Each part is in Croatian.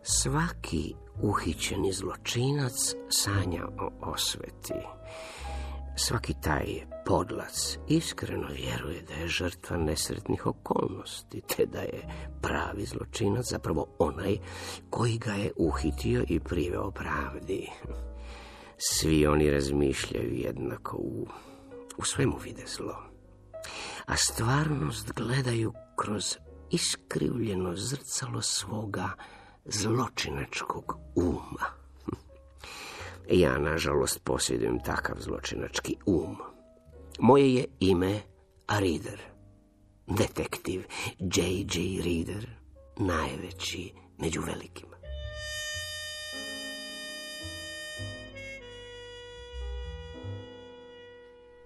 Svaki uhićeni zločinac sanja o osveti. Svaki taj podlac iskreno vjeruje da je žrtva nesretnih okolnosti, te da je pravi zločinac zapravo onaj koji ga je uhitio i priveo pravdi. Svi oni razmišljaju jednako, u svemu vide zlo, a stvarnost gledaju kroz iskrivljeno zrcalo svoga zločinačkog uma. Ja, nažalost, posjedujem takav zločinački um. Moje je ime Reader, detektiv J.J. Reader, najveći među velikima.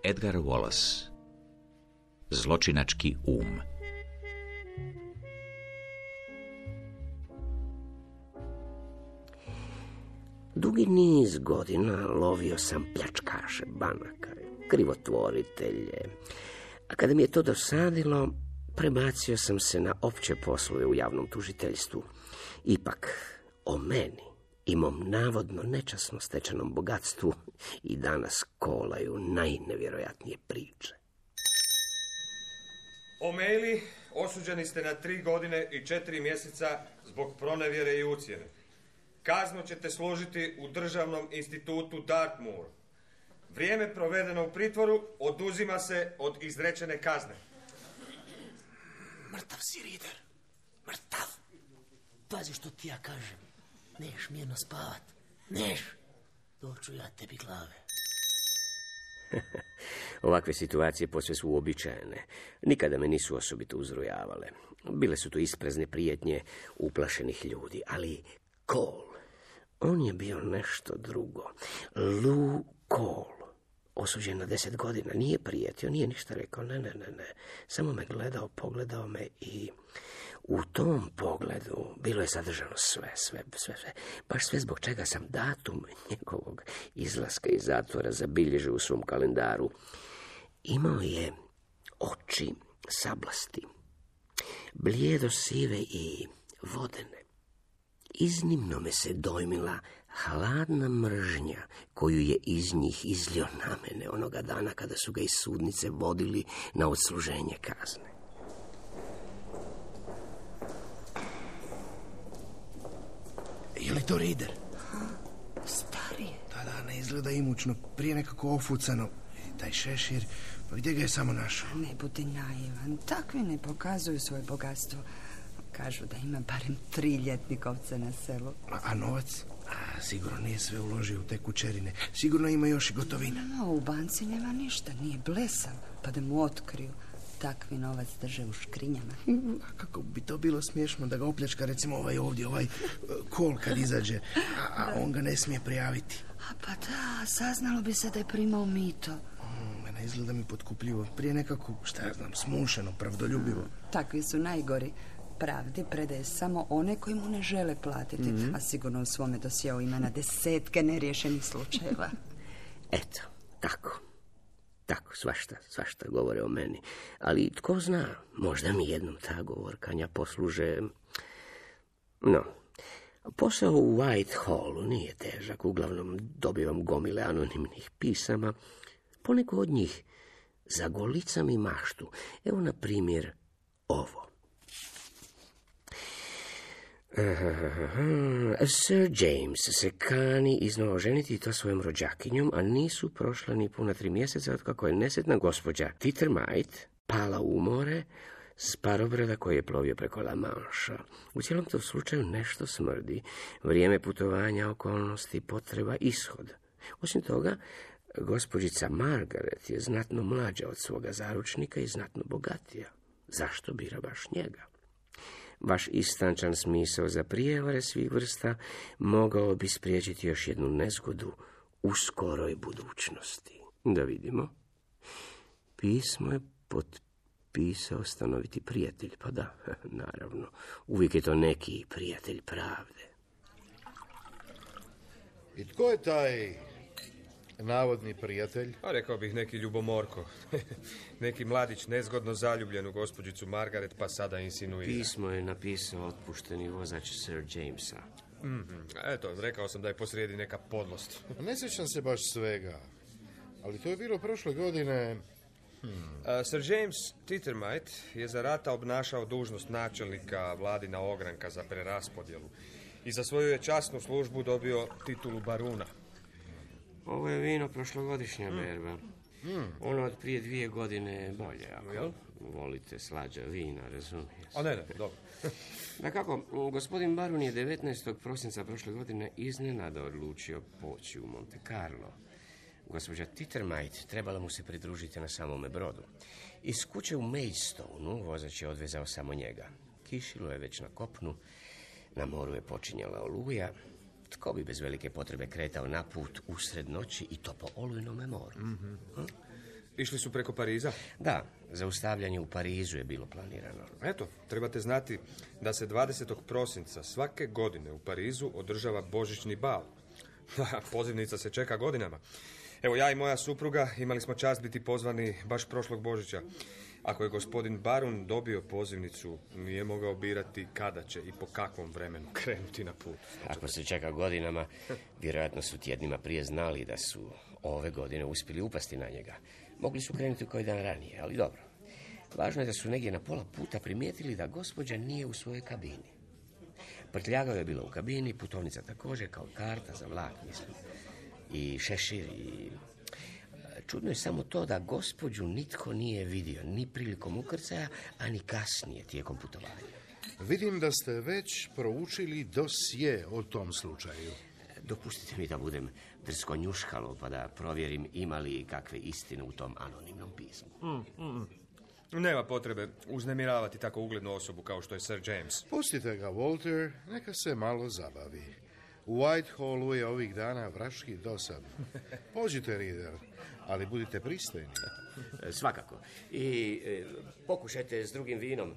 Edgar Wallace, zločinački um. Dugi niz godina lovio sam pljačkaše banaka, krivotvoritelje, a kada mi je to dosadilo, prebacio sam se na opće poslove u javnom tužiteljstvu. Ipak, o meni i mom navodno nečasno stečenom bogatstvu i danas kolaju najnevjerojatnije priče. O'Malley, osuđeni ste na 3 godine i 4 mjeseca zbog pronevjere i ucjene. Kaznu ćete služiti u Državnom institutu Dartmoor. Vrijeme provedeno u pritvoru oduzima se od izrečene kazne. Mrtav si, Reader. Mrtav. Pazi što ti ja kažem. Neš mirno spavat. Neš. Doću ja tebi glave. Ovakve situacije posve su uobičajene. Nikada me nisu osobito uzrujavale. Bile su to isprezne prijetnje uplašenih ljudi, ali Cole, on je bio nešto drugo. Lou Cole, osuđen na 10 godina, nije prijetio, nije ništa rekao, ne. Samo me gledao, pogledao me i u tom pogledu bilo je sadržano sve. Baš sve zbog čega sam datum njegovog izlaska iz zatvora zabilježio u svom kalendaru. Imao je oči sablasti, blijedo sive i vodene. Iznimno me se dojmila hladna mržnja koju je iz njih izlio na mene onoga dana kada su ga iz sudnice vodili na odsluženje kazne. Je li to Reader? Starije. Da, ne izgleda imućno, prije nekako ofucano. Taj šešir, pa gdje ga je samo našao? Ne budi naivan, takvi ne pokazuju svoje bogatstvo. Kažu da ima barem 3 ljetnikovca na selu. A novac? Sigurno nije sve uložio u te kućerine. Sigurno ima još i gotovina. No, u banci nema ništa, nije blesav, pa da mu otkriju. Takvi novac drže u škrinjama. A kako bi to bilo smiješno da ga opljačka, recimo ovaj Cole kad izađe, a on ga ne smije prijaviti. Pa da, saznalo bi se da je primao mito. Ne izgleda mi potkupljivo. Prije nekako, smušeno, pravdoljubivo. Takvi su najgori. Pravdi predaje samo one koji mu ne žele platiti, a sigurno u svome dosjeu ima na 10 neriješenih slučajeva. Eto, tako, svašta govore o meni. Ali tko zna, možda mi jednom ta govorkanja posluže. No, posao u Whitehallu nije težak, uglavnom dobivam gomile anonimnih pisama. Poneko od njih zagolica mi maštu. Evo, na primjer, ovo. Sir James se kani iznova oženiti i to svojom rođakinjom, a nisu prošla ni puna 3 mjeseca otkako je nesretna gospođa Tittermite pala u more s parobrada koji je plovio preko La Manša. U cijelom tom slučaju nešto smrdi. Vrijeme putovanja, okolnosti, potreba, ishod. Osim toga, gospođica Margaret je znatno mlađa od svoga zaručnika i znatno bogatija. Zašto bira baš njega? Vaš istančan smisao za prijevare svih vrsta mogao bi spriječiti još jednu nezgodu u skoroj budućnosti. Da vidimo. Pismo je potpisao stanoviti prijatelj. Pa da, naravno. Uvijek je to neki prijatelj pravde. I tko je taj navodni prijatelj? A rekao bih neki ljubomorko. Neki mladić nezgodno zaljubljen u gospođicu Margaret, pa sada insinuira. Pismo je napisao otpušteni vozač Sir Jamesa. Eto, rekao sam da je posrijedi neka podlost. Ne sjećam se baš svega, ali to je bilo prošle godine. Sir James Tittermite je za rata obnašao dužnost načelnika vladina ogranka za preraspodjelu i za svoju je časnu službu dobio titulu baruna. Ovo je vino prošlogodišnja berba. Ono od prije 2 godine je bolje, ako volite slađa vina, razumiješ. A ne, dobro. Dakako, gospodin Barun je 19. prosinca prošle godine iznenada odlučio poći u Monte Carlo. Gospođa Tittermite trebala mu se pridružiti na samome brodu. Iz kuće u Maidstonu vozač je odvezao samo njega. Kišilo je već na kopnu, na moru je počinjala oluja. Tko bi bez velike potrebe kretao na put usred noći i to po olujnome moru? Išli su preko Pariza? Da, zaustavljanje u Parizu je bilo planirano. Eto, trebate znati da se 20. prosinca svake godine u Parizu održava božićni bal. Pozivnica se čeka godinama. Evo, ja i moja supruga imali smo čast biti pozvani baš prošlog Božića. Ako je gospodin Barun dobio pozivnicu, nije mogao birati kada će i po kakvom vremenu krenuti na put. Ako se čeka godinama, vjerojatno su tjednima prije znali da su ove godine uspjeli upasti na njega. Mogli su krenuti koji dan ranije, ali dobro. Važno je da su negdje na pola puta primijetili da gospođa nije u svojoj kabini. Prtljagao je bila u kabini, putovnica također, kao karta za vlak, mislim. I šešir i... Čudno je samo to da gospođu nitko nije vidio, ni prilikom ukrcaja, a ni kasnije tijekom putovanja. Vidim da ste već proučili dosje o tom slučaju. Dopustite mi da budem drsko njuškalo, pa da provjerim ima li kakve istine u tom anonimnom pismu. Nema potrebe uznemiravati tako uglednu osobu kao što je Sir James. Pustite ga, Walter, neka se malo zabavi. U Whitehallu je ovih dana vraški dosadno. Pođite, Reader, ali budite pristojni. Svakako. I pokušajte s drugim vinom.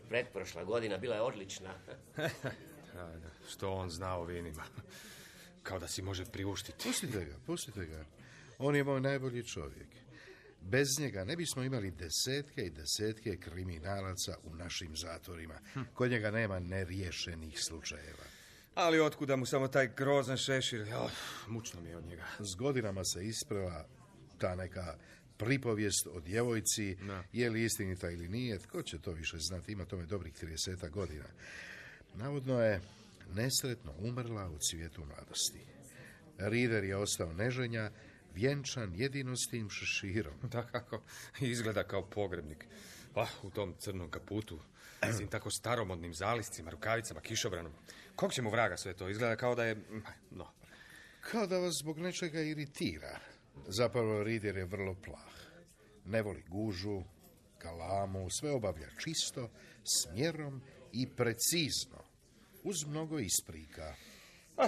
Pretprošla godina bila je odlična. Što on zna o vinima? Kao da si može priuštiti. Pustite ga. On je moj najbolji čovjek. Bez njega ne bismo imali desetke i desetke kriminalaca u našim zatvorima. Kod njega nema neriješenih slučajeva. Ali otkuda mu samo taj grozan šešir? Mučno mi je od njega. S godinama se isprava ta neka pripovijest o djevojci, je li istinita ili nije, tko će to više znati, ima tome dobrih 30 godina. Navodno je nesretno umrla u cvijetu mladosti. Reader je ostao neženja, vjenčan jedino s tim šeširom. Da, kako izgleda kao pogrebnik. U tom crnom kaputu, s tim tako staromodnim zaliscima, rukavicama, kišobranom. Kog će mu vraga sve to? Izgleda kao da je... Kao da vas zbog nečega iritira. Zapravo, Reader je vrlo plah. Ne voli gužu, galamu, sve obavlja čisto, s mjerom i precizno. Uz mnogo isprika.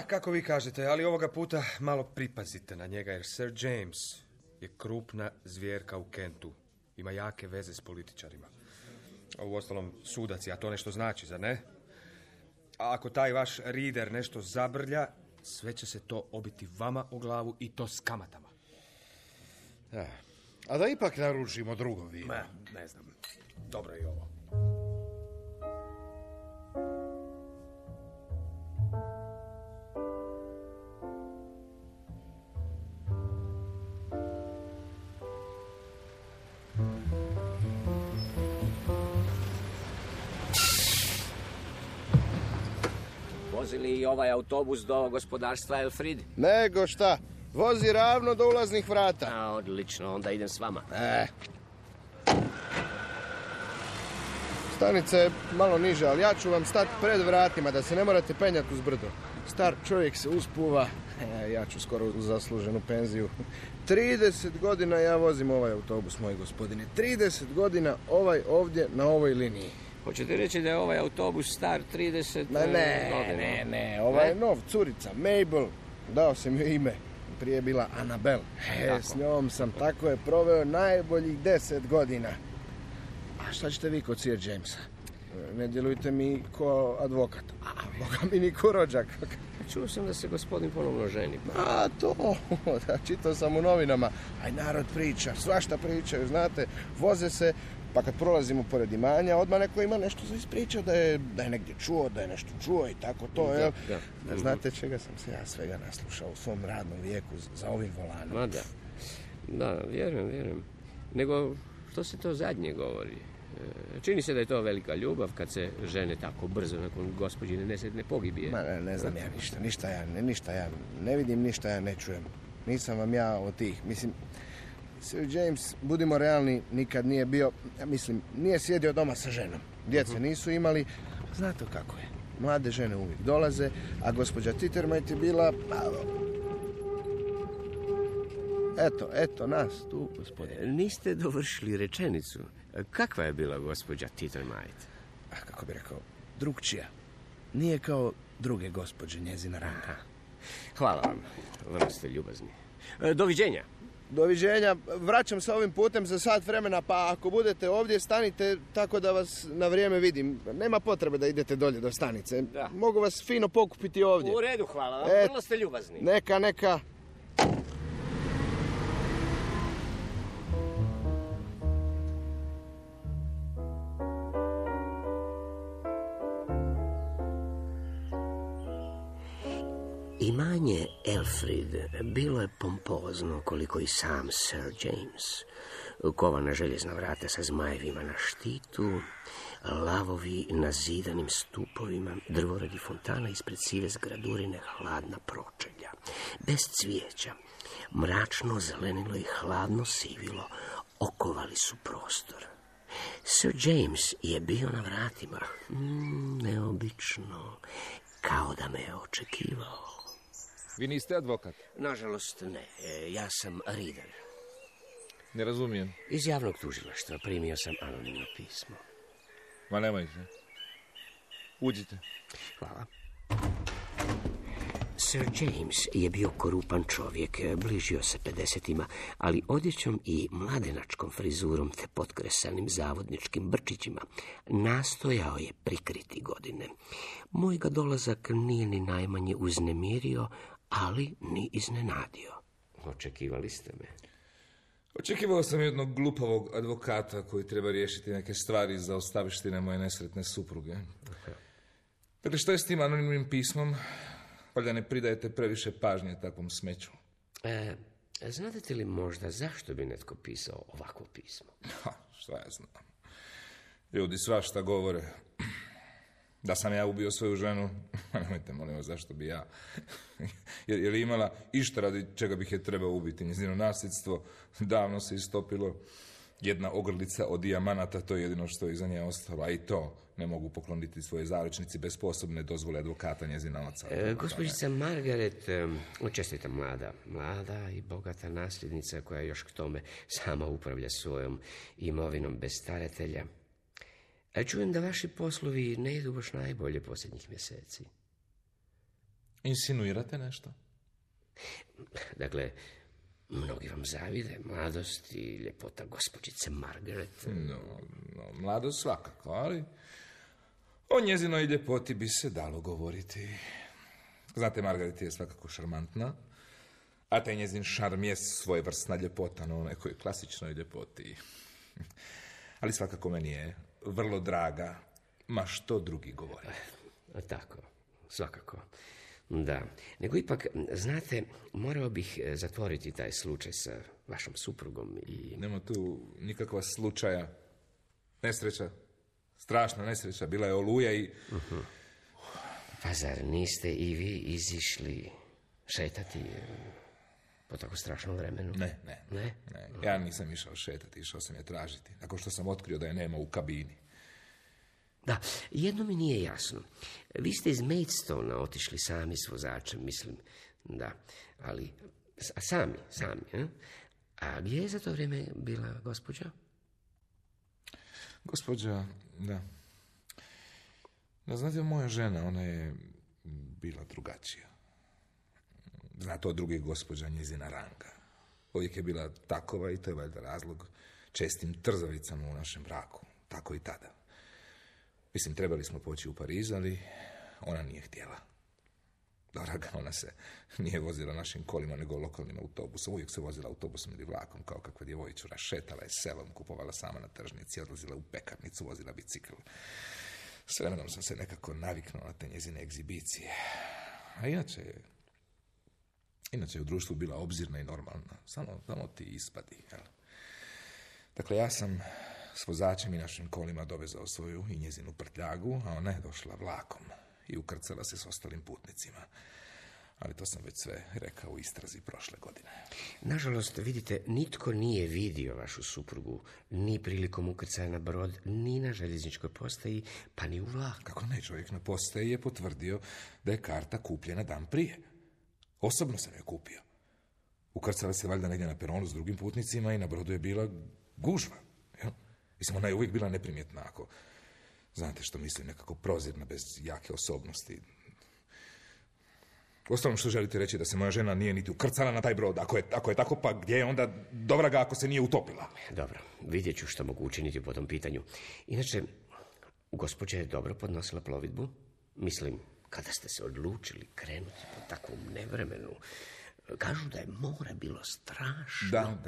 Kako vi kažete, ali ovoga puta malo pripazite na njega, jer Sir James je krupna zvjerka u Kentu. Ima jake veze s političarima. Uostalom, sudac je, a to nešto znači, zar ne? A ako taj vaš Reader nešto zabrlja, sve će se to obiti vama o glavu i to s kamatama. A da ipak naručimo drugo vino. Ne znam. Dobro je i ovo. Vozi li ovaj autobus do gospodarstva Elfrid? Nego šta, vozi ravno do ulaznih vrata. Odlično, onda idem s vama. Stanica je malo niže, ali ja ću vam stati pred vratima, da se ne morate penjati uz brdo. Star čovjek se uspuva, ja ću skoro u zasluženu penziju. 30 godina ja vozim ovaj autobus, moj gospodine. 30 godina ovaj ovdje na ovoj liniji. Hoćete reći da je ovaj autobus star 30 godina? Ne, ovaj je nov, curica, Mabel. Dao sam joj ime. Prije je bila Annabel. S njom sam tako je proveo najboljih 10 godina. A šta ćete vi kod Sir Jamesa? Ne djelujte mi ko advokat. A Boga mi ni ko rođak. Čuo sam da se gospodin ponovno ženi. Da, čitao sam u novinama. Aj, narod priča, svašta pričaju, znate. Voze se Pa kad prolazimo pored imanja, odmah neko ima nešto za ispričao da je negdje čuo, da je nešto čuo i tako to, jel? Da. Znate čega sam se ja svega naslušao u svom radnom vijeku za ovim volanom? Ma da. Da, vjerujem. Nego, što se to zadnje govori? Čini se da je to velika ljubav kad se žene tako brzo nakon gospođine nesretne pogibije. Ma ne znam ja ništa ja ne vidim, ništa ja ne čujem. Nisam vam ja od tih, mislim, Sir James, budimo realni, nikad nije bio, nije sjedio doma sa ženom. Djece nisu imali, znate kako je. Mlade žene uvijek dolaze, a gospođa Tittermite je bila... Eto nas tu, gospodine. Niste dovršili rečenicu. Kakva je bila gospođa Tittermite? Kako bi rekao, drugčija. Nije kao druge gospođe njezina ranga. Hvala vam, vrlo ste ljubazni. Doviđenja. Doviđenja, vraćam se ovim putem za sat vremena, pa ako budete ovdje, stanite tako da vas na vrijeme vidim. Nema potrebe da idete dolje do stanice. Da. Mogu vas fino pokupiti ovdje. U redu, hvala vam, vrlo ste ljubazni. Neka. Imanje Elfrid bilo je pompozno koliko i sam Sir James. Kovana željezna vrata sa zmajevima na štitu, lavovi na zidanim stupovima, drvoredi fontana ispred sive zgradurine, hladna pročelja. Bez cvijeća, mračno zelenilo i hladno sivilo okovali su prostor. Sir James je bio na vratima. Neobično, kao da me je očekivao. Vi niste advokat? Nažalost ne, ja sam reader. Ne razumijem. Iz javnog tužilaštva primio sam anonimno pismo. Ma nemojte. Uđite. Hvala. Sir James je bio korupan čovjek, bližio se 50-ima, ali odjećom i mladenačkom frizurom te potkresanim zavodničkim brčićima nastojao je prikriti godine. Moj ga dolazak nije ni najmanje uznemirio, ali ni iznenadio. Očekivali ste me? Očekivao sam jednog glupavog advokata koji treba riješiti neke stvari za ostavištine moje nesretne supruge. Dakle, što je s tim anonimnim pismom? Valjda ne pridajete previše pažnje takvom smeću. Znate li možda zašto bi netko pisao ovako pismo? Šta ja znam. Ljudi svašta govore. Da sam ja ubio svoju ženu, nemojte, molim vas, zašto bi ja? Je li imala išta radi čega bih je trebao ubiti? Njezino nasljedstvo davno se istopilo. Jedna ogrlica od dijamanata, to je jedino što je iza nje ostalo, a i to ne mogu pokloniti svoje zaručnici bez posebne dozvole advokata njezina oca. Gospođica Margaret, čestita mlada i bogata nasljednica koja još k tome sama upravlja svojom imovinom bez staratelja. Čujem da vaši poslovi ne idu baš najbolje posljednjih mjeseci. Insinuirate nešto? Dakle, mnogi vam zavide mladost i ljepota gospođice Margaret. No, mladost svakako, ali o njezinoj ljepoti bi se dalo govoriti. Znate, Margaret je svakako šarmantna, a taj njezin šarm je svojevrsna ljepota na onoj klasičnoj ljepoti. Ali svakako meni je vrlo draga, ma što drugi govore. Tako, svakako. Da, nego ipak, znate, morao bih zatvoriti taj slučaj sa vašom suprugom i... Nema tu nikakva slučaja. Nesreća, strašna nesreća, bila je oluja i... Pa zar niste i vi izišli šetati po tako strašnom vremenu? Ne. Ja nisam išao šetati, išao sam je tražiti, nakon što sam otkrio da je nema u kabini. Da, jedno mi nije jasno. Vi ste iz Maidstona otišli sami s vozačem, mislim, da, ali sami, A gdje je za to vrijeme bila gospođa? Gospođa, da. Znate, moja žena, ona je bila drugačija. Znate, od drugih gospođa njezina ranga. Uvijek je bila takova i to je valjda razlog čestim trzavicama u našem braku. Tako i tada. Mislim, trebali smo poći u Pariz, ali ona nije htjela. Draga, ona se nije vozila našim kolima, nego lokalnim autobusom. Uvijek se vozila autobusom ili vlakom, kao kakva djevojčura. Šetala je selom, kupovala sama na tržnici, odlazila u pekarnicu, vozila bicikl. S vremenom sam se nekako naviknuo na te njezine egzibicije. A inače je u društvu bila obzirna i normalna. Samo ti ispadi, jel? Dakle, ja sam s vozačem i našim kolima dovezao svoju i njezinu prtljagu, a ona je došla vlakom i ukrcala se s ostalim putnicima. Ali to sam već sve rekao u istrazi prošle godine. Nažalost, vidite, nitko nije vidio vašu suprugu ni prilikom ukrcaja na brod, ni na željezničkoj postaji, pa ni u vlaku. Kako ne, čovjek na postaji je potvrdio da je karta kupljena dan prije. Osobno sam je kupio. Ukrcala se valjda negdje na peronu s drugim putnicima i na brodu je bila gužva. Jel? Mislim, ona je uvijek bila neprimjetna, ako znate što mislim, nekako prozirna, bez jake osobnosti. Uostalom, što želite reći, da se moja žena nije niti ukrcala na taj brod? Ako je tako, pa gdje je onda dobra ga ako se nije utopila? Dobro, vidjet ću što mogu učiniti po tom pitanju. Inače, gospođa je dobro podnosila plovidbu. Mislim, kada ste se odlučili krenuti po takvom nevremenu, kažu da je more bilo strašno.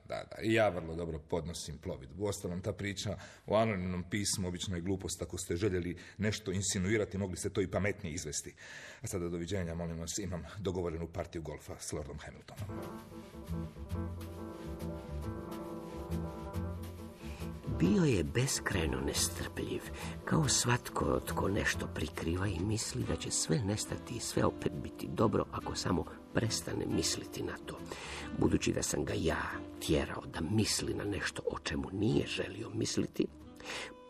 Da. I ja vrlo dobro podnosim plovidbu. Uostalom, ta priča o anonimnom pismu obično je glupost. Ako ste željeli nešto insinuirati, mogli ste to i pametnije izvesti. A sada doviđenja, molim vas, imam dogovorenu partiju golfa s Lordom Hamiltonom. Bio je beskrajno nestrpljiv, kao svatko tko nešto prikriva i misli da će sve nestati i sve opet biti dobro ako samo prestane misliti na to. Budući da sam ga ja tjerao da misli na nešto o čemu nije želio misliti,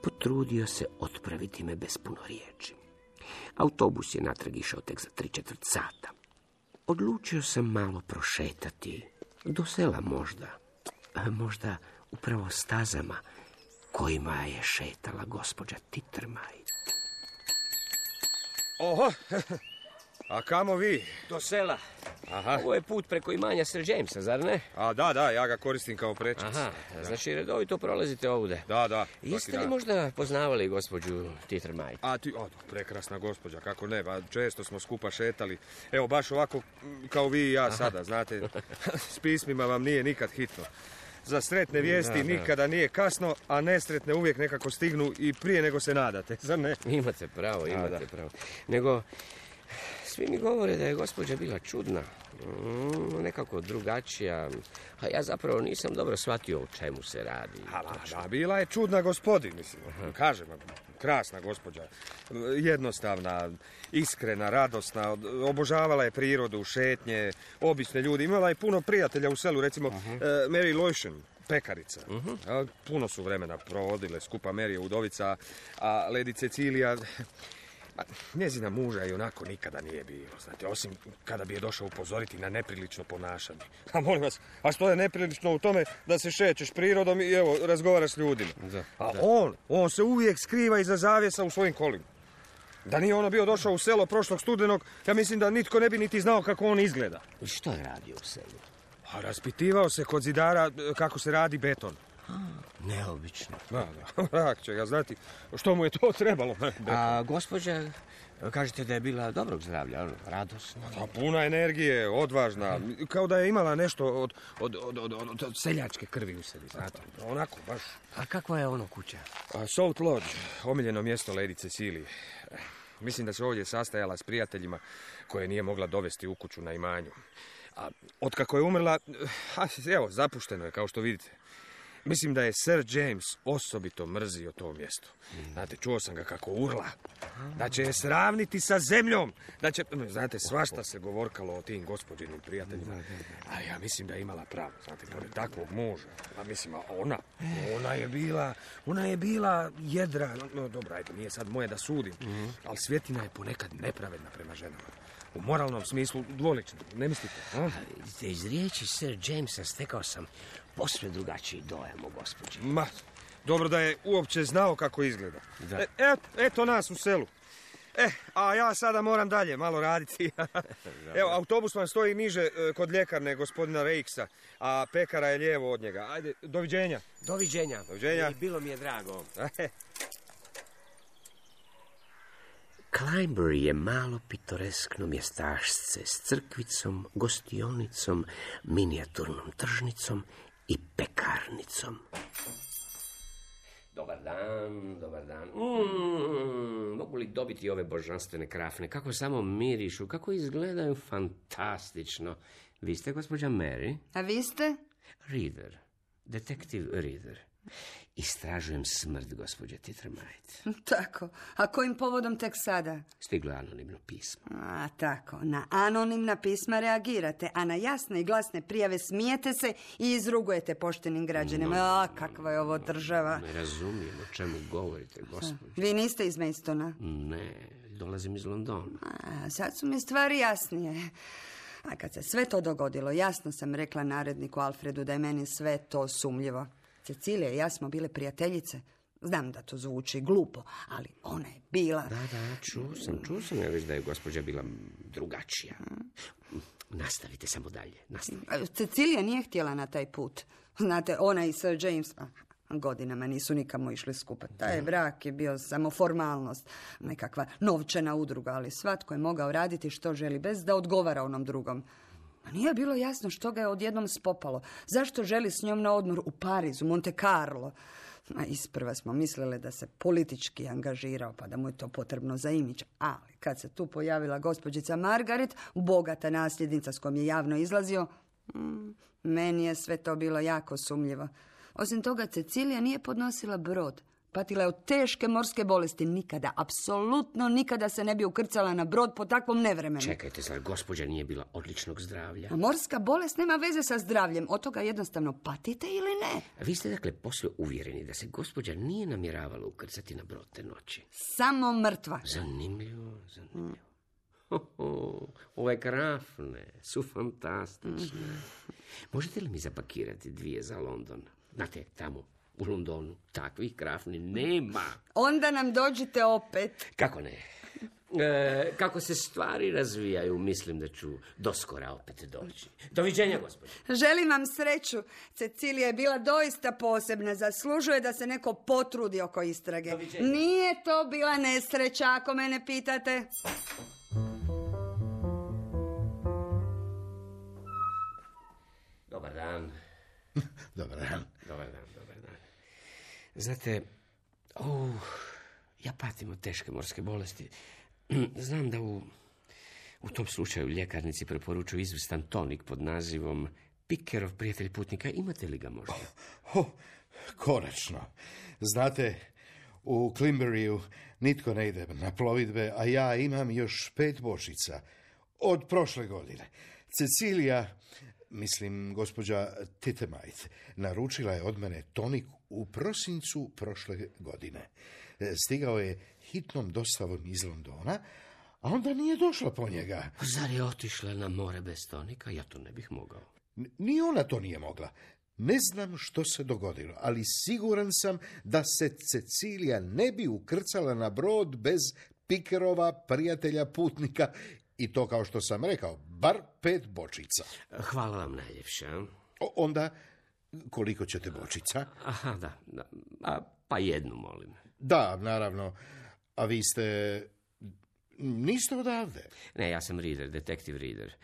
potrudio se otpraviti me bez puno riječi. Autobus je natrag išao tek za 3/4 sata. Odlučio sam malo prošetati, do sela možda upravo stazama kojima je šetala gospođa Tittermite. Oho, a kamo vi? Do sela. Aha. Ovo je put preko imanja Sir Jamesa, zar ne? A da, ja ga koristim kao prečicu. Aha, znači redovito prolazite ovdje. Da. Jeste li možda poznavali gospođu Tittermite? Prekrasna gospođa, kako ne, često smo skupa šetali. Evo, baš ovako kao vi i ja sada, znate, s pismima vam nije nikad hitno. Za sretne vijesti nikada nije kasno, a nesretne uvijek nekako stignu i prije nego se nadate, zar ne? Imate pravo. Nego, svi mi govore da je gospođa bila čudna, nekako drugačija, a ja zapravo nisam dobro shvatio o čemu se radi. Da, bila je čudna gospodin, mislim. Kažem, krasna gospođa, jednostavna, iskrena, radosna, obožavala je prirodu, šetnje, obične ljudi. Imala je puno prijatelja u selu, recimo Mary Lotion, pekarica. Puno su vremena provodile skupa. Mary je udovica, a Lady Cecilija, njezina muža i onako nikada nije bilo, znate, osim kada bi je došao upozoriti na neprilično ponašanje. A molim vas, a što je neprilično u tome da se šećeš prirodom i evo, razgovaraš s ljudima? On se uvijek skriva iza zavjesa u svojim kolima. Da nije ono bio došao u selo prošlog studenog, ja mislim da nitko ne bi niti znao kako on izgleda. I što je radio u selu? A raspitivao se kod zidara kako se radi beton. Neobično. Rak će ga znati što mu je to trebalo. A gospođa, kažete da je bila dobrog zdravlja, radosna? Puna energije, odvažna, kao da je imala nešto od seljačke krvi u sebi, znate. Onako, baš. A kakva je ono kuća? Salt Lodge, omiljeno mjesto Lady Cecilije. Mislim da se ovdje sastajala s prijateljima koje nije mogla dovesti u kuću na imanju. A otkako je umrla, evo, zapušteno je, kao što vidite. Mislim da je Sir James osobito mrzio to mjesto. Znate, čuo sam ga kako urla. Da će je sravniti sa zemljom. Znate, svašta se govorkalo o tim gospođinim prijateljima. A ja mislim da je imala pravo. Znate, pored takvog muža. A mislim, ona je bila jedra. No, dobro, ajde, nije sad moje da sudim. Ali Svjetina je ponekad nepravedna prema ženama. U moralnom smislu dvolična, ne mislite? Iz riječi Sir Jamesa stekao sam posve drugačiji dojam o gospođi. Dobro da je uopće znao kako izgleda. Eto nas u selu. A ja sada moram dalje malo raditi. Evo, autobus vam stoji niže kod ljekarne gospodina Reixa, a pekara je lijevo od njega. Ajde, doviđenja. Doviđenja. Bilo mi je drago. Climbury je malo pitoreskno mjestašce s crkvicom, gostionicom, minijaturnom tržnicom i pekarnicom. Dobar dan, dobar dan. Mogu li dobiti ove božanstvene krafne? Kako samo mirišu, kako izgledaju fantastično. Vi ste gospođa Mary? A vi ste? Reader, detektiv Reader. Istražujem smrt gospođe Tittermite. Tako. A kojim povodom tek sada? Stiglo je anonimno pismo. A, tako. Na anonimna pisma reagirate, a na jasne i glasne prijave smijete se i izrugujete poštenim građanima. Kakva je ovo država. Ne razumijem o čemu govorite, gospođo. Vi niste iz Maidstona? Ne, dolazim iz Londona. Sad su mi stvari jasnije. A kad se sve to dogodilo, jasno sam rekla naredniku Alfredu da je meni sve to sumnjivo. Cecilija i ja smo bile prijateljice. Znam da to zvuči glupo, ali ona je bila... Da, čuo sam ja već da je gospođa bila drugačija. Nastavite samo dalje, nastavite. Cecilija nije htjela na taj put. Znate, ona i Sir James godinama nisu nikamo išli skupa. Taj brak je bio samo formalnost, nekakva novčana udruga, ali svatko je mogao raditi što želi bez da odgovara onom drugom. A nije bilo jasno što ga je odjednom spopalo. Zašto želi s njom na odmor u Parizu, Monte Carlo? A isprva smo mislile da se politički angažirao, pa da mu je to potrebno za imidž. Ali kad se tu pojavila gospođica Margaret, bogata nasljednica s kojom je javno izlazio, meni je sve to bilo jako sumnjivo. Osim toga, Cecilija nije podnosila brod. Patila je od teške morske bolesti. Nikada, apsolutno nikada se ne bi ukrcala na brod po takvom nevremenu. Čekajte, zar gospođa nije bila odličnog zdravlja? A morska bolest nema veze sa zdravljem. Od toga jednostavno patite ili ne? Vi ste dakle posve uvjereni da se gospođa nije namjeravala ukrcati na brod te noći? Samo mrtva. Zanimljivo. Ove krafne su fantastične. Možete li mi zapakirati 2 za London? Znate, tamo u Londonu takvih krafni nema. Onda nam dođite opet. Kako ne? Kako se stvari razvijaju, mislim da ću doskora opet doći. Doviđenja, gospođo. Želim vam sreću. Cecilija je bila doista posebna. Zaslužuje da se neko potrudi oko istrage. Doviđenja. Nije to bila nesreća, ako mene pitate. Dobar dan. Dobar dan. Dobar dan. Znate, ja patim od teške morske bolesti. Znam da u tom slučaju ljekarnici preporučuju izvrstan tonik pod nazivom Pikerov prijatelj putnika. Imate li ga možda? Konačno. Znate, u Climburyju nitko ne ide na plovidbe, a ja imam još 5 bočica od prošle godine. Cecilija, mislim gospođa Tittermite, naručila je od mene tonik u prosincu prošle godine. Stigao je hitnom dostavom iz Londona, a onda nije došla po njega. Zar je otišla na more bez tonika? Ja to ne bih mogao. Ni ona to nije mogla. Ne znam što se dogodilo, ali siguran sam da se Cecilija ne bi ukrcala na brod bez Pikerova prijatelja putnika, i to, kao što sam rekao, bar 5 bočica. Hvala vam najljepša. Onda, koliko ćete bočica? Aha, da. Pa 1, molim. Da, naravno. A vi niste odavde? Ne, ja sam Reader, detektiv Reader.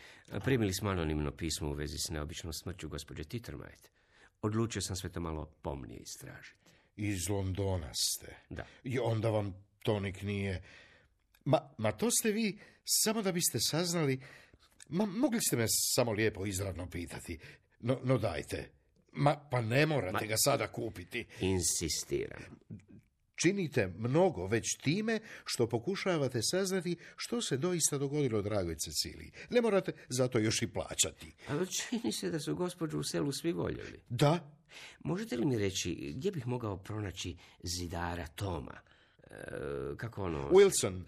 Primili smo anonimno pismo u vezi s neobičnom smrću gospođe Tittermite. Odlučio sam sve to malo pomnije istražiti. Iz Londona ste? Da. I onda vam tonik nije... Ma to ste vi samo da biste saznali... mogli ste me samo lijepo izravno pitati. No dajte. Pa ne morate ga sada kupiti. Insistiram. Činite mnogo već time što pokušavate saznati što se doista dogodilo dragoj Ceciliji. Ne morate zato još i plaćati. Ali čini se da su gospođu u selu svi voljeli. Da. Možete li mi reći gdje bih mogao pronaći zidara Toma? Kako ono... Wilson.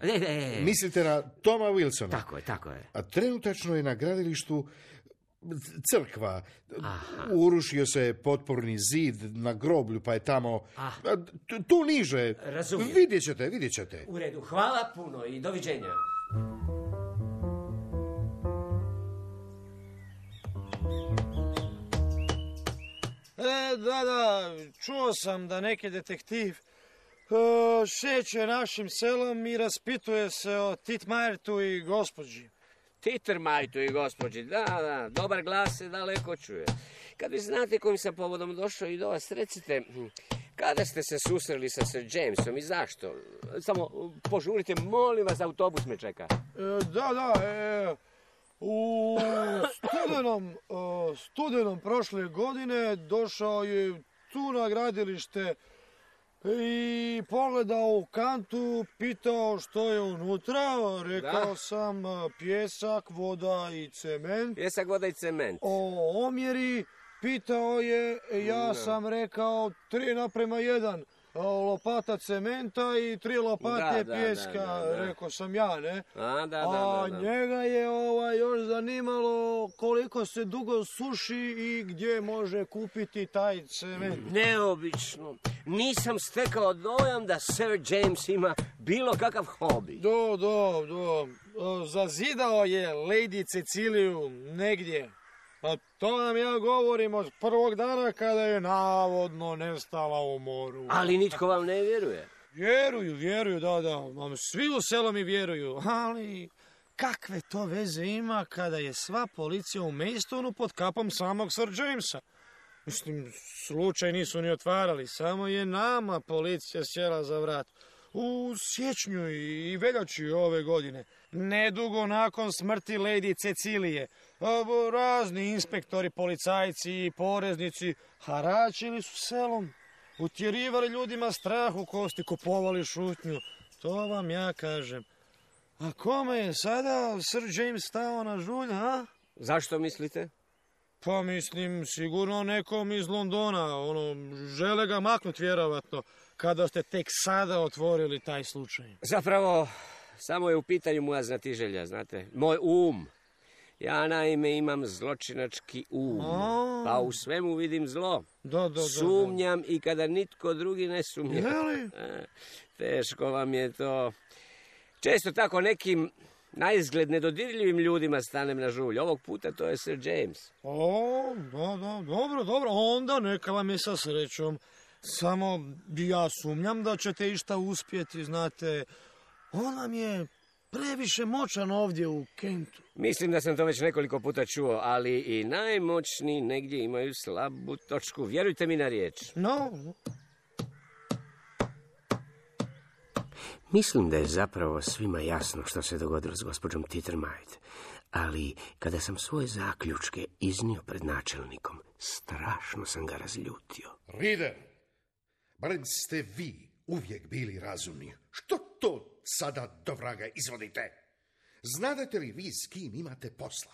Mislite na Toma Wilsona? Tako je. A trenutačno je na gradilištu crkva. Urušio se potporni zid na groblju, pa je tamo... Tu niže. Razumijem. Vidjet ćete. U redu, hvala puno i doviđenja. Da, čuo sam da neki detektiv šeće našim selom i raspituje se o Titmajtu i gospođi. Titmajtu i gospođi, da, dobar glas se daleko čuje. Kad vi znate kojim sam povodom došao i do vas, recite, kada ste se susreli sa Sir Jamesom i zašto? Samo požurite, molim vas, autobus me čeka. U studenom prošle godine došao je tu na gradilište i pogledao u kantu, pitao što je unutra, rekao sam pjesak, voda i cement. Pjesak, voda i cement. O omjeri pitao je, ja sam rekao 3:1. Lopata cementa i 3 lopate pjeska, rekao sam ja, ne? A njega je još zanimalo koliko se dugo suši i gdje može kupiti taj cement. Neobično. Nisam stekao dojam da Sir James ima bilo kakav hobi. Zazidao je Lady Ceciliju negdje. Pa to nam ja govorim od prvog dana kada je navodno nestala u moru. Ali nitko vam ne vjeruje. Vjeruju, da. Svi u selu mi vjeruju, ali kakve to veze ima kada je sva policija u Maidstonu pod kapom samog Sir Jamesa? Mislim, slučaj nisu ni otvarali, samo je nama policija sjela za vrat. U siječnju i veljači ove godine, nedugo nakon smrti Lady Cecilije, razni inspektori, policajci i poreznici haračili su selom, utjerivali ljudima strah u kosti, kupovali šutnju. To vam ja kažem. A kome je sada Sir James stao na žulj, a? Zašto mislite? Pa mislim, sigurno nekom iz Londona, žele ga maknut vjerovatno, kada ste tek sada otvorili taj slučaj. Zapravo, samo je u pitanju moja znatiželja, znate, moj um. Ja naime imam zločinački um, pa u svemu vidim zlo. Sumnjam i kada nitko drugi ne sumnja. Teško vam je to. Često tako nekim naizgled nedodirljivim ljudima stanem na žulj. Ovog puta to je Sir James. Dobro, onda neka vam je sa srećom. Samo ja sumnjam da ćete išta uspjeti, znate. On vam je previše moćan ovdje u Kentu. Mislim da sam to već nekoliko puta čuo, ali i najmoćniji negdje imaju slabu točku. Vjerujte mi na riječ. Mislim da je zapravo svima jasno što se dogodilo s gospođom Tittermite, ali kada sam svoje zaključke iznio pred načelnikom, strašno sam ga razljutio. Reader, barem ste vi uvijek bili razumni. Što to sada do vraga izvodite? Znadete li vi s kim imate posla?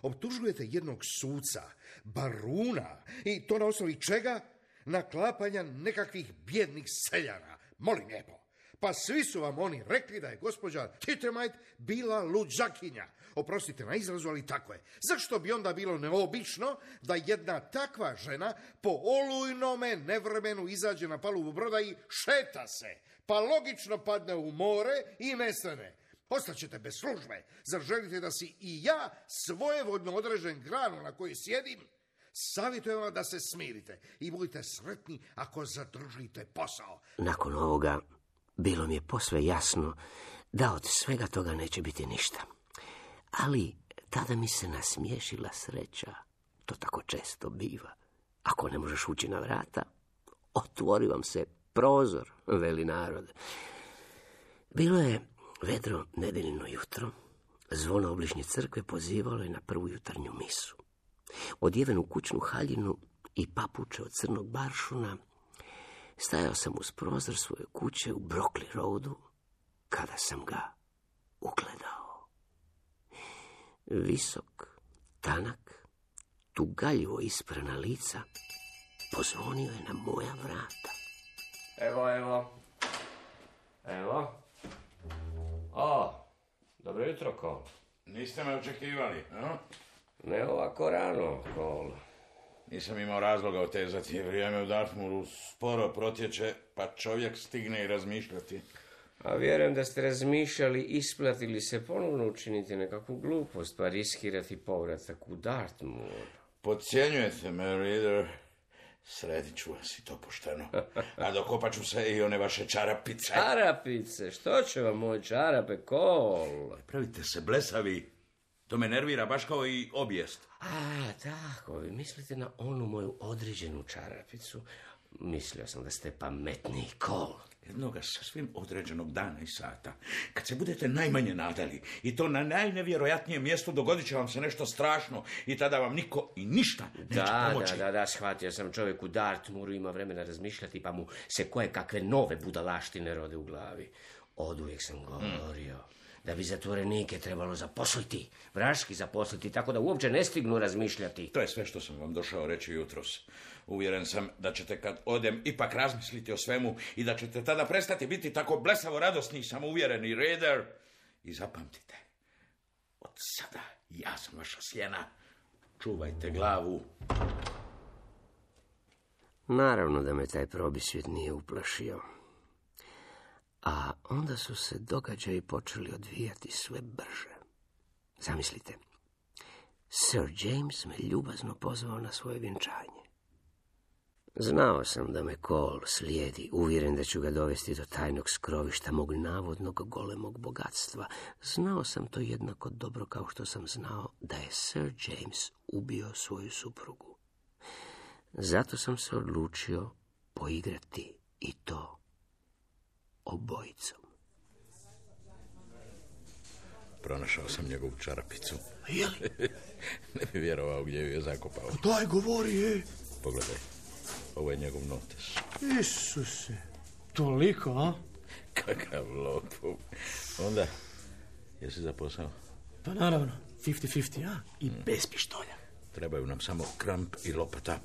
Optužujete jednog suca, baruna, i to na osnovi čega? Naklapanja nekakvih bjednih seljana. Molim lijepo. Pa svi su vam oni rekli da je gospođa Tittermite bila luđakinja. Oprostite na izrazu, ali tako je. Zašto bi onda bilo neobično da jedna takva žena po olujnome nevremenu izađe na palubu broda i šeta se, pa logično padne u more i nestane? Ostaćete bez službe. Zar želite da si i ja svojevoljno odrežem granu na kojoj sjedim? Savjetujem vam da se smirite i budite sretni ako zadržite posao. Nakon ovoga bilo mi je posve jasno da od svega toga neće biti ništa. Ali tada mi se nasmiješila sreća. To tako često biva. Ako ne možeš ući na vrata, otvori vam se prozor, veli narod. Bilo je vedro nedeljno jutro. Zvono obližnje crkve pozivalo je na prvu jutarnju misu. Odjeven u kućnu haljinu i papuče od crnog baršuna, stajao sam uz prozor svoje kuće u Brockley Roadu, kada sam ga ugledao. Visok, tanak, tugaljivo isprana lica, pozvonio je na moja vrata. Evo. Dobro jutro, Cole. Niste me očekivali, no? Ne ovako rano, Cole. Nisam imao razloga otezati. Vrijeme u Dartmooru sporo protječe, pa čovjek stigne i razmišljati. A vjerujem da ste razmišljali isplatili se ponovno učiniti nekakvu glupost, pa riskirati povratak u Dartmoor. Podcjenjujete me, Reader. Sredit ću vas i to pošteno. A dokopat ću se i one vaše čarapice. Čarapice? Što će vam moj čarape, Cole? Pravite se blesavi. To me nervira baš kao i obijest. A, tako, vi mislite na onu moju određenu čarapicu. Mislio sam da ste pametniji, Cole. Jednoga sasvim određenog dana i sata, kad se budete najmanje nadali, i to na najnevjerojatnijem mjestu, dogodit će vam se nešto strašno i tada vam niko i ništa neće pomoći. Da, shvatio sam, čovjek u Dartmooru ima vremena razmišljati, pa mu se koje kakve nove budalaštine rode u glavi. Oduvijek sam govorio da bi zatvorenike trebalo zaposliti, vraški zaposliti, tako da uopće ne stignu razmišljati. To je sve što sam vam došao reći jutros. Uvjeren sam da ćete kad odem ipak razmisliti o svemu i da ćete tada prestati biti tako blesavo radosni i samouvjereni, Raider. I zapamtite, od sada ja sam vaša sjena. Čuvajte glavu. Naravno da me taj probisvjet nije uplašio. A onda su se događaji počeli odvijati sve brže. Zamislite, Sir James me ljubazno pozvao na svoje vjenčanje. Znao sam da me Cole slijedi, uvjeren da ću ga dovesti do tajnog skrovišta mog navodnog golemog bogatstva. Znao sam to jednako dobro kao što sam znao da je Sir James ubio svoju suprugu. Zato sam se odlučio poigrati i to obojicom. Pronašao sam njegovu čarapicu. Jeli? Ne bi vjerovao gdje ju je zakopao. Daj, govori, Pogledaj, ovo je njegov notes. Isuse, toliko, a? Kakav lopov. Onda, jesi za posao? Pa naravno, 50-50, a? I bez pištolja. Trebaju nam samo kramp i lopata.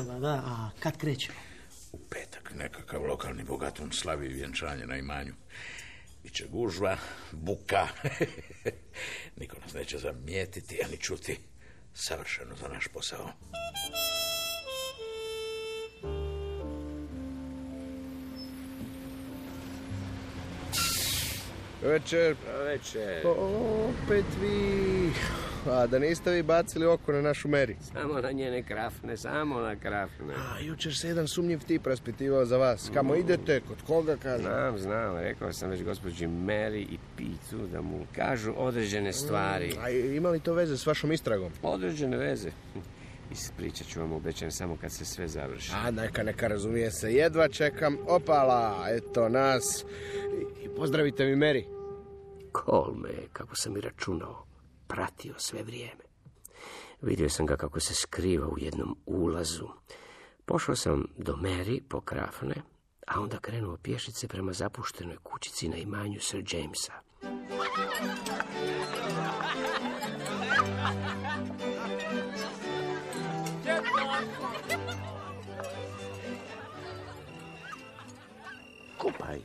Pa da, a kad krećemo? U petak nekakav lokalni bogatum slavi vjenčanje na imanju. Biće gužva, buka. Niko nas neće zamijetiti, ani čuti. Savršeno za naš posao. Večer. Opet vi. A da niste vi bacili oko na našu Mary? Samo na njene krafne, samo na krafne. A jučer se jedan sumnjiv tip raspitivao za vas. Kamo idete, kod koga kaže? Znam, rekao sam već gospođi Mary i Pitu da mu kažu određene stvari. A ima li to veze s vašom istragom? Određene veze. Ispričat ću vam, obećam, samo kad se sve završi. A neka razumije se, jedva čekam. Opala, eto nas. I pozdravite mi Mary. Cole me, kako sam i računao, pratio sve vrijeme. Vidio sam ga kako se skriva u jednom ulazu. Pošao sam do Mary po krafne, a onda krenuo pješice prema zapuštenoj kućici na imanju Sir Jamesa. Kopaj.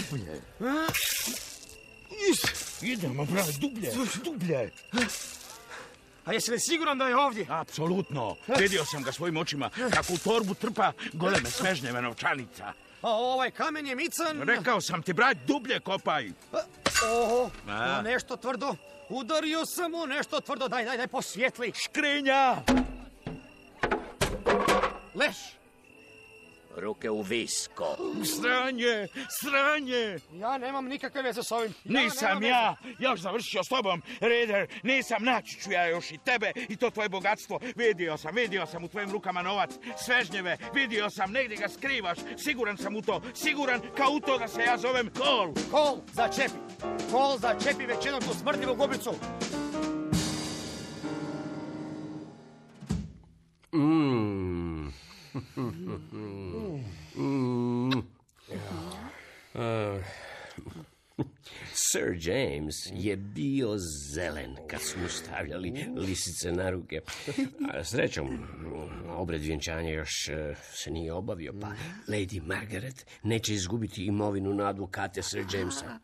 Dublje. Idemo, brate, dublje. A jesi li siguran da je ovdje? Apsolutno. Vidio sam ga svojim očima kako u torbu trpa goleme svežnjeve novčanica. A ovaj kamen je mican? Rekao sam ti, brat, dublje kopaj. Oho, nešto tvrdo. Udario sam mu nešto tvrdo. Daj, posvijetli. Škrinja! Leš! Ruke u visko. Sranje! Ja nemam nikakve veze s ovim. Nisam ja još završio s tobom, Raider. Nisam, naći ću ja još i tebe i to tvoje bogatstvo. Vidio sam u tvojim rukama novac, svežnjeve. Vidio sam, negdje ga skrivaš. Siguran sam u to. Siguran kao u to da se ja zovem Cole. Cole, začepi već jednom tu smrdljivu gubicu. Sir James je bio zelen kad su mu stavljali lisice na ruke. A srećom, obred vjenčanja još se nije obavio, pa Lady Margaret neće izgubiti imovinu na advokate Sir Jamesa.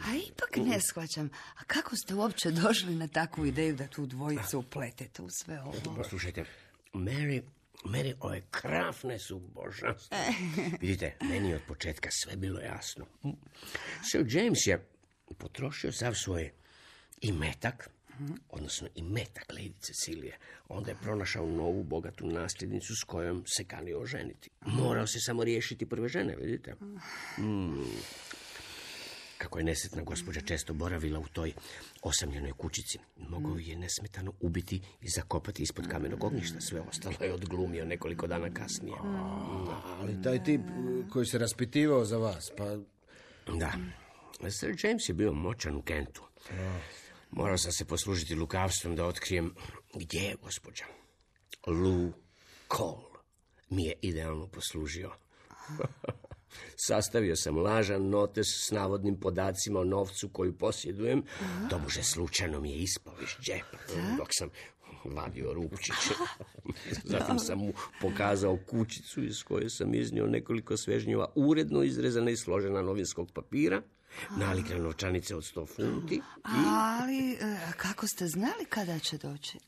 A ipak ne shvaćam. A kako ste uopće došli na takvu ideju da tu dvojicu upletete u sve ovo? Poslušajte, Mary, ove krafne su božanstvo. Vidite, meni je od početka sve bilo jasno. Sir James je potrošio sav svoj imetak odnosno i metak Lady Cecilije. Onda je pronašao novu bogatu nasljednicu s kojom se kanio oženiti. Morao se samo riješiti prve žene, vidite. Kako je nesretna gospođa često boravila u toj osamljenoj kućici, mogao je nesmetano ubiti i zakopati ispod kamenog ognjišta. Sve ostalo je odglumio nekoliko dana kasnije. Ali taj tip koji se raspitivao za vas, pa... Da. Sir James je bio moćan u Kentu. Morao sam se poslužiti lukavstvom da otkrijem gdje je gospođa. Lou Cole mi je idealno poslužio. Sastavio sam lažan notes s navodnim podacima o novcu koju posjedujem. Tobože slučajno mi je ispao iz džepa dok sam vadio rupčić. Zatim sam mu pokazao kućicu iz koje sam iznio nekoliko svežnjeva uredno izrezana i složena novinskog papira, nalik na novčanice od 100 funti. Ali kako ste znali kada će doći?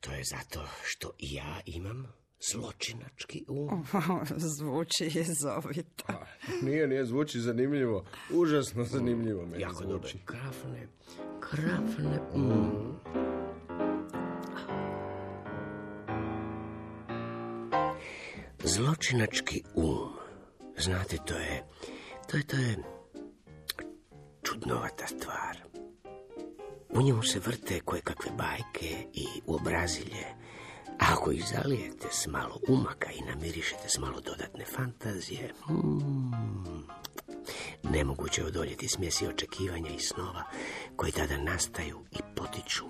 To je zato što i ja imam zločinački um. Zvuči jezovito. Nije, zvuči zanimljivo. Užasno zanimljivo meni jako zvuči. dobro. Krafne um. Zločinački um. Znate, to je čudnovata stvar. U njemu se vrte koje kakve bajke i uobrazilje. A ako ih zalijete s malo umaka i namirišete s malo dodatne fantazije, nemoguće odoljeti smjesi očekivanja i snova koji tada nastaju i potiču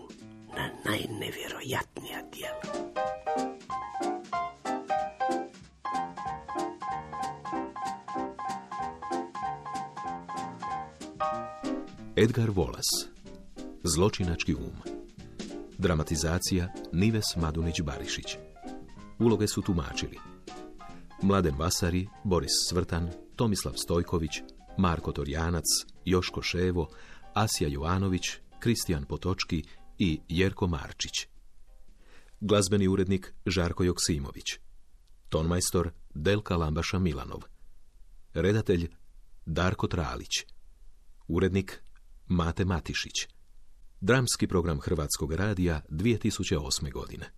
na najnevjerojatnija djela. Edgar Wallace, Zločinački um. Dramatizacija Nives Madunić-Barišić. Uloge su tumačili Mladen Vasari, Boris Svrtan, Tomislav Stojković, Marko Torjanac, Joško Ševo, Asja Jovanović, Kristijan Potočki i Jerko Marčić. Glazbeni urednik Žarko Joksimović. Tonmajstor Delka Lambaša Milanov. Redatelj Darko Tralić. Urednik Mate Matišić. Dramski program Hrvatskog radija 2008. godine.